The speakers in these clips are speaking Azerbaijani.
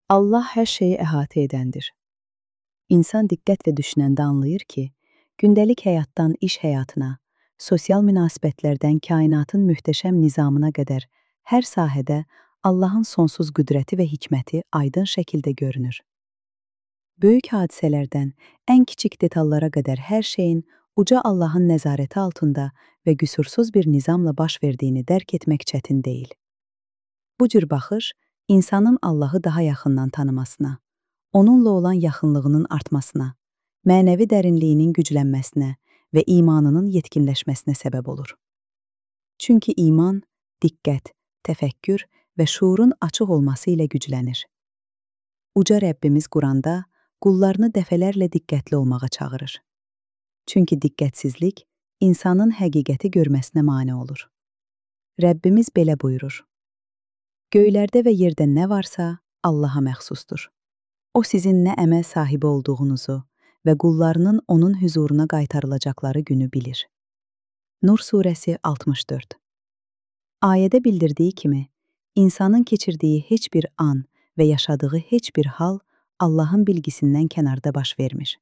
Allah hər şeyi əhatə edəndir. İnsan diqqətlə düşünəndə anlayır ki, gündəlik həyatdan iş həyatına, sosial münasibətlərdən kainatın möhtəşəm nizamına qədər hər sahədə Allahın sonsuz qüdrəti və hikməti aydın şəkildə görünür. Böyük hadisələrdən ən kiçik detallara qədər hər şeyin uca Allahın nəzarəti altında və qüsursuz bir nizamla baş verdiyini dərk etmək çətin deyil. Bu cür baxış, insanın Allahı daha yaxından tanımasına, onunla olan yaxınlığının artmasına, mənəvi dərinliyinin güclənməsinə və imanının yetkinləşməsinə səbəb olur. Çünki iman, diqqət, təfəkkür və şuurun açıq olması ilə güclənir. Uca Rəbbimiz Quranda qullarını dəfələrlə diqqətli olmağa çağırır. Çünki diqqətsizlik insanın həqiqəti görməsinə mane olur. Rəbbimiz belə buyurur: Göylərdə və yerdə nə varsa Allaha məxsusdur. O sizin nə əməl sahibi olduğunuzu və qullarının onun hüzuruna qaytarılacaqları günü bilir. Nur surəsi 64. Ayədə bildirdiyi kimi, insanın keçirdiyi heç bir an və yaşadığı heç bir hal Allahın bilgisindən kənarda baş vermir.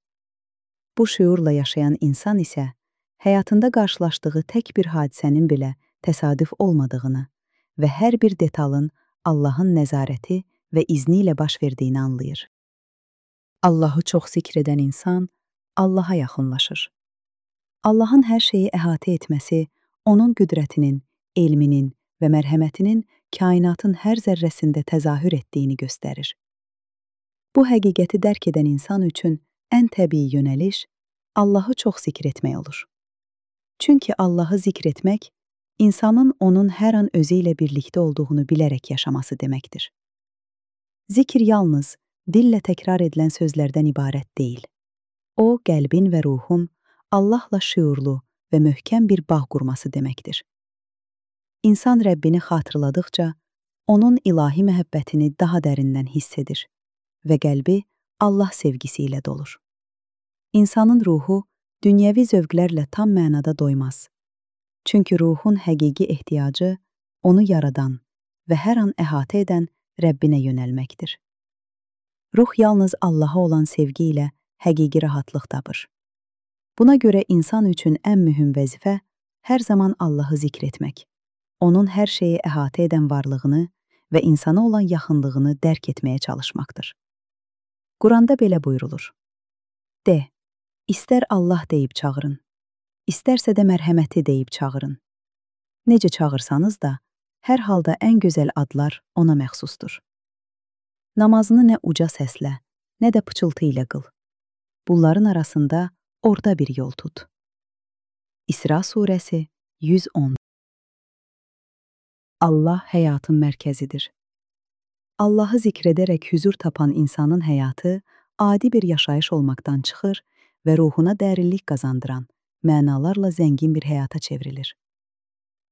Bu şüurla yaşayan insan isə, həyatında qarşılaşdığı tək bir hadisənin belə təsadüf olmadığını və hər bir detalın Allahın nəzarəti və izni ilə baş verdiyini anlayır. Allahı çox zikr edən insan Allaha yaxınlaşır. Allahın hər şeyi əhatə etməsi, onun qüdrətinin, elminin və mərhəmətinin kainatın hər zərrəsində təzahür etdiyini göstərir. Bu həqiqəti dərk edən insan üçün ən təbii yönəliş Allahı çox zikr etmək olur. Çünki Allahı zikr etmək, insanın onun hər an özü ilə birlikdə olduğunu bilərək yaşaması deməkdir. Zikr yalnız dillə təkrar edilən sözlərdən ibarət deyil. O, qəlbin və ruhun Allahla şüurlu və möhkəm bir bağ qurması deməkdir. İnsan Rəbbini xatırladıqca, onun ilahi məhəbbətini daha dərindən hiss edir və qəlbi Allah sevgisi ilə dolur. İnsanın ruhu dünyəvi zövqlərlə tam mənada doymaz. Çünki ruhun həqiqi ehtiyacı onu yaradan və hər an əhatə edən Rəbbinə yönəlməkdir. Ruh yalnız Allaha olan sevgi ilə həqiqi rahatlıq tapır. Buna görə insan üçün ən mühüm vəzifə hər zaman Allahı zikr etmək, onun hər şeyi əhatə edən varlığını və insana olan yaxınlığını dərk etməyə çalışmaqdır. Quranda belə buyurulur: De, istər Allah deyib çağırın, istərsə də mərhəməti deyib çağırın. Necə çağırsanız da, hər halda ən gözəl adlar ona məxsusdur. Namazını nə uca səslə, nə də pıçıltı ilə qıl. Bunların arasında orta bir yol tut. İsra surəsi 110. Allah həyatın mərkəzidir. Allahı zikr edərək hüzur tapan insanın həyatı adi bir yaşayış olmaqdan çıxır və ruhuna dərinlik qazandıran, mənalarla zəngin bir həyata çevrilir.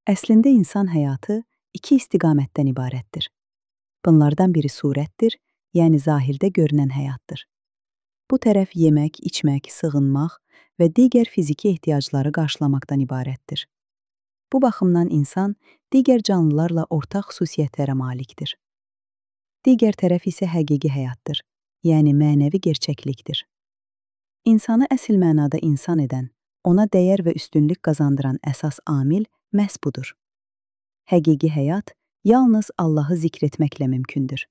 Əslində insan həyatı iki istiqamətdən ibarətdir. Bunlardan biri surətdir, yəni zahirdə görünən həyatdır. Bu tərəf yemək, içmək, sığınmaq və digər fiziki ehtiyacları qarşılamaqdan ibarətdir. Bu baxımdan insan digər canlılarla ortaq xüsusiyyətlərə malikdir. Digər tərəf isə həqiqi həyatdır, yəni mənəvi gerçəklikdir. İnsanı əsl mənada insan edən, ona dəyər və üstünlük qazandıran əsas amil məhz budur. Həqiqi həyat yalnız Allahı zikr etməklə mümkündür.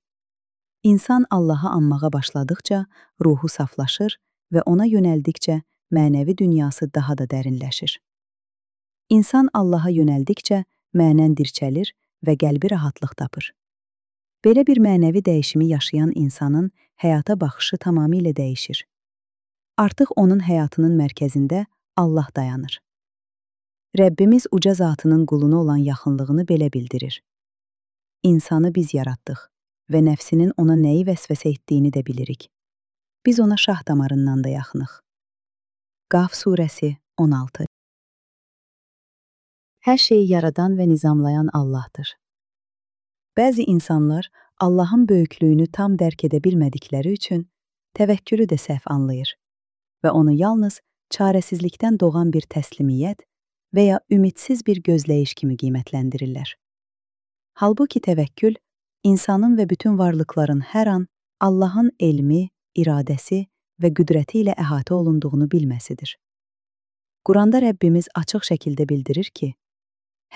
İnsan Allahı anmağa başladıqca ruhu saflaşır və ona yönəldikcə mənəvi dünyası daha da dərinləşir. İnsan Allaha yönəldikcə mənən dirçəlir və qəlbi rahatlıq tapır. Belə bir mənəvi dəyişimi yaşayan insanın həyata baxışı tamamilə dəyişir. Artıq onun həyatının mərkəzində Allah dayanır. Rəbbimiz uca zatının quluna olan yaxınlığını belə bildirir. İnsanı biz yaratdıq və nəfsinin ona nəyi vəsvəsə etdiyini də bilirik. Biz ona şah damarından da yaxınıq. Qaf surəsi 16. Hər şeyi yaradan və nizamlayan Allahdır. Bəzi insanlar Allahın böyüklüyünü tam dərk edə bilmədikləri üçün təvəkkülü də səhv anlayır və onu yalnız çarəsizlikdən doğan bir təslimiyyət və ya ümidsiz bir gözləyiş kimi qiymətləndirirlər. Halbuki təvəkkül, insanın və bütün varlıqların hər an Allahın elmi, iradəsi və qüdrəti ilə əhatə olunduğunu bilməsidir. Quranda Rəbbimiz açıq şəkildə bildirir ki,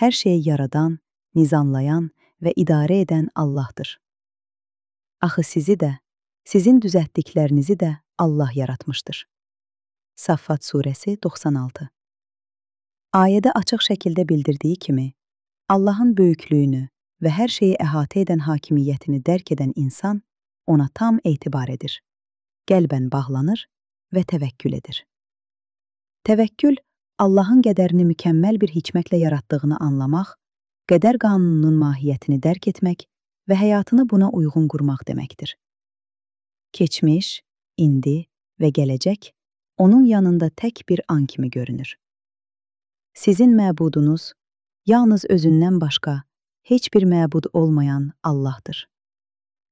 hər şeyi yaradan, nizamlayan və idarə edən Allahdır. Axı sizi də, sizin düzəltdiklərinizi də Allah yaratmışdır. Saffat surəsi 96. Ayədə açıq şəkildə bildirdiyi kimi, Allahın böyüklüyünü və hər şeyi əhatə edən hakimiyyətini dərk edən insan ona tam etibar edir, qəlbən bağlanır və təvəkkül edir. Təvəkkül, Allahın qədərini mükəmməl bir hikmətlə yaratdığını anlamaq, qədər qanununun mahiyyətini dərk etmək və həyatını buna uyğun qurmaq deməkdir. Keçmiş, indi və gələcək onun yanında tək bir an kimi görünür. Sizin məbudunuz yalnız özündən başqa heç bir məbud olmayan Allahdır.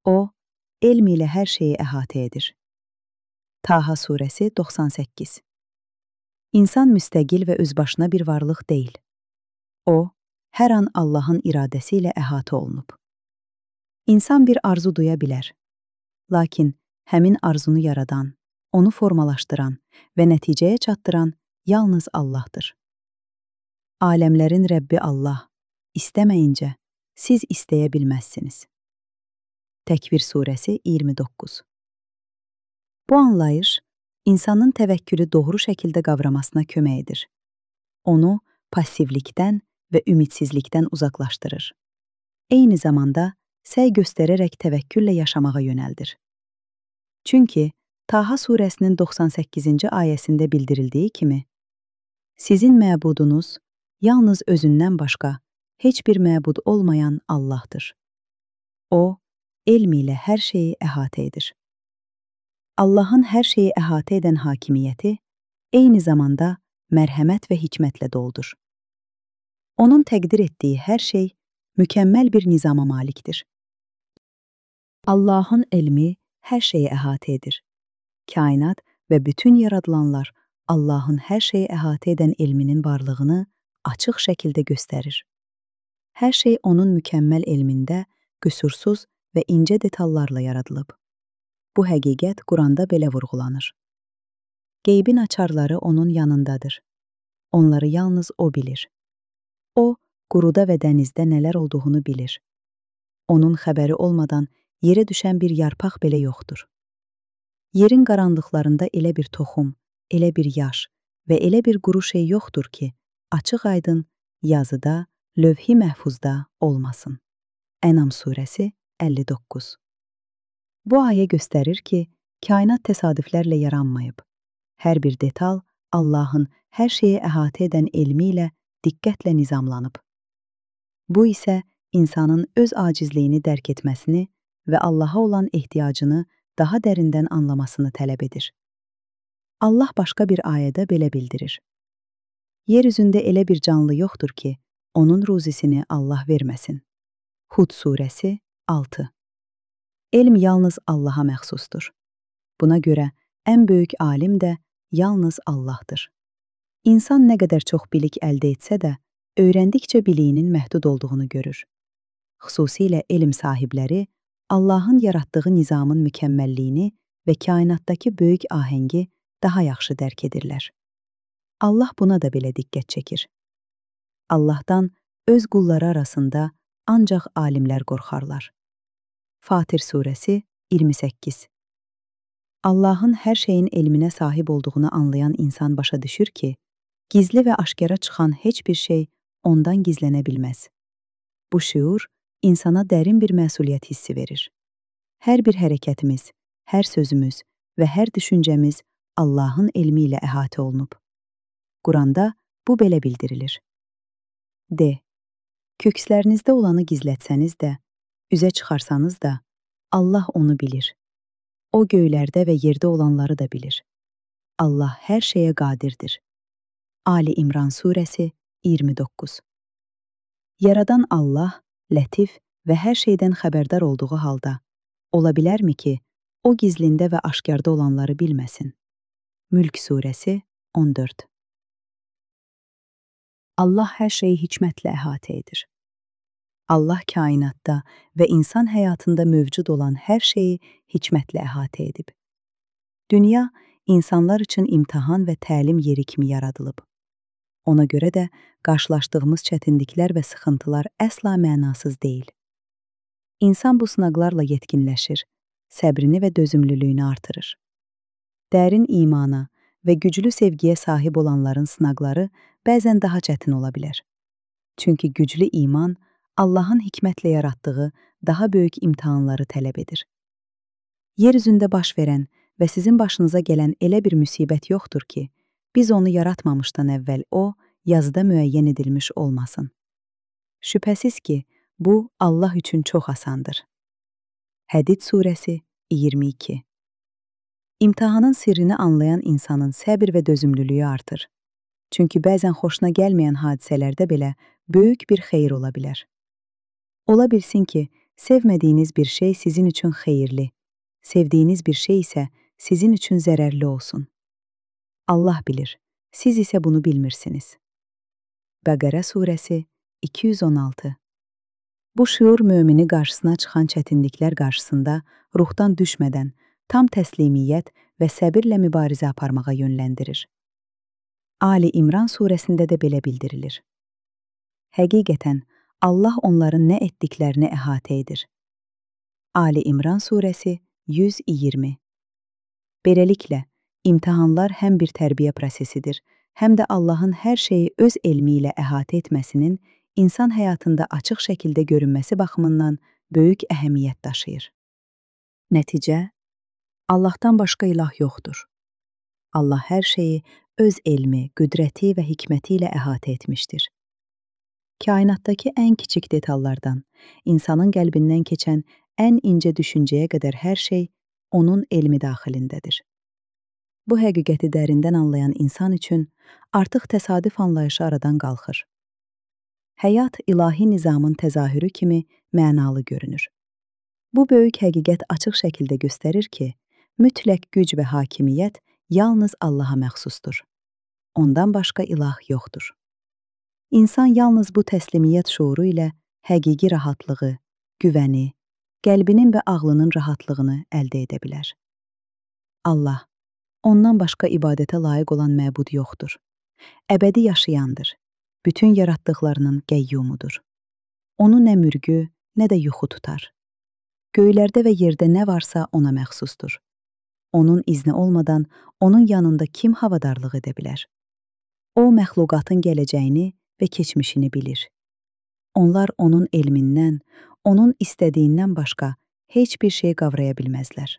O, elm ilə hər şeyi əhatə edir. Taha surəsi 98. İnsan müstəqil və özbaşına bir varlıq deyil. O, hər an Allahın iradəsi ilə əhatə olunub. İnsan bir arzu duya bilər. Lakin həmin arzunu yaradan, onu formalaşdıran və nəticəyə çatdıran yalnız Allahdır. Aləmlərin Rəbbi Allah, istəməyincə siz istəyə bilməzsiniz. Təkvir surəsi 29. Bu anlayış, insanın təvəkkülü doğru şəkildə qavramasına kömək edir. Onu passivlikdən və ümidsizlikdən uzaqlaşdırır. Eyni zamanda səy göstərərək təvəkküllə yaşamağa yönəldir. Çünki Taha surəsinin 98-ci ayəsində bildirildiyi kimi, sizin məbudunuz yalnız özündən başqa heç bir məbud olmayan Allahdır. O, elm ilə hər şeyi əhatə edir. Allahın hər şeyi əhatə edən hakimiyyəti eyni zamanda mərhəmət və hikmətlə doludur. Onun təqdir etdiyi hər şey mükəmməl bir nizama malikdir. Allahın elmi hər şeyi əhatə edir. Kainat və bütün yaradılanlar Allahın hər şeyi əhatə edən elminin varlığını açıq şəkildə göstərir. Hər şey onun mükəmməl elmində qüsursuz və incə detallarla yaradılıb. Bu həqiqət Quranda belə vurğulanır. Qeybin açarları onun yanındadır. Onları yalnız o bilir. O, quruda və dənizdə nələr olduğunu bilir. Onun xəbəri olmadan yerə düşən bir yarpaq belə yoxdur. Yerin qaranlıqlarında elə bir toxum, elə bir yaş və elə bir quru şey yoxdur ki, açıq-aydın yazıda, lövh-i məhfuzda olmasın. Ənam surəsi 59. Bu ayə göstərir ki, kainat təsadüflərlə yaranmayıb. Hər bir detal Allahın hər şeyi əhatə edən elmi ilə diqqətlə nizamlanıb. Bu isə insanın öz acizliyini dərk etməsini və Allaha olan ehtiyacını daha dərindən anlamasını tələb edir. Allah başqa bir ayədə belə bildirir. Yer üzündə elə bir canlı yoxdur ki, onun ruzisini Allah verməsin. Hud surəsi 6. Elm yalnız Allaha məxsusdur. Buna görə ən böyük alim də yalnız Allahdır. İnsan nə qədər çox bilik əldə etsə də, öyrəndikcə biliyinin məhdud olduğunu görür. Xüsusilə elm sahibləri Allahın yaratdığı nizamın mükəmməlliyini və kainatdakı böyük ahəngi daha yaxşı dərk edirlər. Allah buna da belə diqqət çəkir. Allahdan öz qulları arasında ancaq alimlər qorxarlar. Fatir surəsi 28. Allahın hər şeyin elminə sahib olduğunu anlayan insan başa düşür ki, gizli və aşkara çıxan heç bir şey ondan gizlənə bilməz. Bu şüur insana dərin bir məsuliyyət hissi verir. Hər bir hərəkətimiz, hər sözümüz və hər düşüncəmiz Allahın elmi ilə əhatə olunub. Quranda bu belə bildirilir. D. Kökslərinizdə olanı gizlətsəniz də, üzə çıxarsanız da, Allah onu bilir. O göylərdə və yerdə olanları da bilir. Allah hər şeyə qadirdir. Ali İmran surəsi 29. Yaradan Allah, lətif və hər şeydən xəbərdar olduğu halda, ola bilərmi ki, o gizlində və aşkarda olanları bilməsin? Mülk surəsi 14. Allah hər şeyi hikmətlə əhatə edir. Allah kainatda və insan həyatında mövcud olan hər şeyi hikmətlə əhatə edib. Dünya insanlar üçün imtahan və təlim yeri kimi yaradılıb. Ona görə də qarşılaşdığımız çətinliklər və sıxıntılar əsla mənasız deyil. İnsan bu sınaqlarla yetkinləşir, səbrini və dözümlülüyünü artırır. Dərin imana və güclü sevgiyə sahib olanların sınaqları bəzən daha çətin ola bilər. Çünki güclü iman Allahın hikmətlə yaratdığı daha böyük imtahanları tələb edir. Yer üzündə baş verən və sizin başınıza gələn elə bir müsibət yoxdur ki, biz onu yaratmamışdan əvvəl o, yazıda müəyyən edilmiş olmasın. Şübhəsiz ki, bu Allah üçün çox asandır. Hədid surəsi 22. İmtahanın sirrini anlayan insanın səbir və dözümlülüyü artır. Çünki bəzən xoşuna gəlməyən hadisələrdə belə böyük bir xeyir ola bilər. Ola bilsin ki, sevmədiyiniz bir şey sizin üçün xeyirli, sevdiyiniz bir şey isə sizin üçün zərərli olsun. Allah bilir, siz isə bunu bilmirsiniz. Bəqərə surəsi 216. Bu şüur mömini qarşısına çıxan çətinliklər qarşısında ruhdan düşmədən tam təslimiyyət və səbirlə mübarizə aparmağa yönləndirir. Ali İmran surəsində də belə bildirilir. Həqiqətən, Allah onların nə etdiklərini əhatə edir. Ali İmran surəsi 120. Beləliklə, imtahanlar həm bir tərbiyə prosesidir, həm də Allahın hər şeyi öz elmi ilə əhatə etməsinin insan həyatında açıq şəkildə görünməsi baxımından böyük əhəmiyyət daşıyır. Nəticə, Allahdan başqa ilah yoxdur. Allah hər şeyi öz elmi, qüdrəti və hikməti ilə əhatə etmişdir. Kainatdakı ən kiçik detallardan, insanın qəlbindən keçən ən incə düşüncəyə qədər hər şey onun elmi daxilindədir. Bu həqiqəti dərindən anlayan insan üçün artıq təsadüf anlayışı aradan qalxır. Həyat ilahi nizamın təzahürü kimi mənalı görünür. Bu böyük həqiqət açıq şəkildə göstərir ki, mütləq güc və hakimiyyət yalnız Allaha məxsusdur. Ondan başqa ilah yoxdur. İnsan yalnız bu təslimiyyət şuuru ilə həqiqi rahatlığı, güvəni, qəlbinin və ağlının rahatlığını əldə edə bilər. Allah, ondan başqa ibadətə layiq olan məbud yoxdur. Əbədi yaşayandır. Bütün yaratdıqlarının qəyyumudur. Onu nə mürgü, nə də yuxu tutar. Göylərdə və yerdə nə varsa ona məxsusdur. Onun izni olmadan onun yanında kim havadarlıq edə bilər? O, məxluqatın gələcəyini və keçmişini bilir. Onlar onun elmindən, onun istədiyindən başqa heç bir şey qavraya bilməzlər.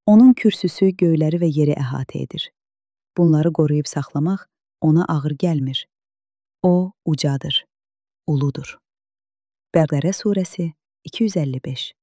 Onun kürsüsü göyləri və yeri əhatə edir. Bunları qoruyub saxlamaq ona ağır gəlmir. O, ucadır, uludur. Bəqərə surəsi 255.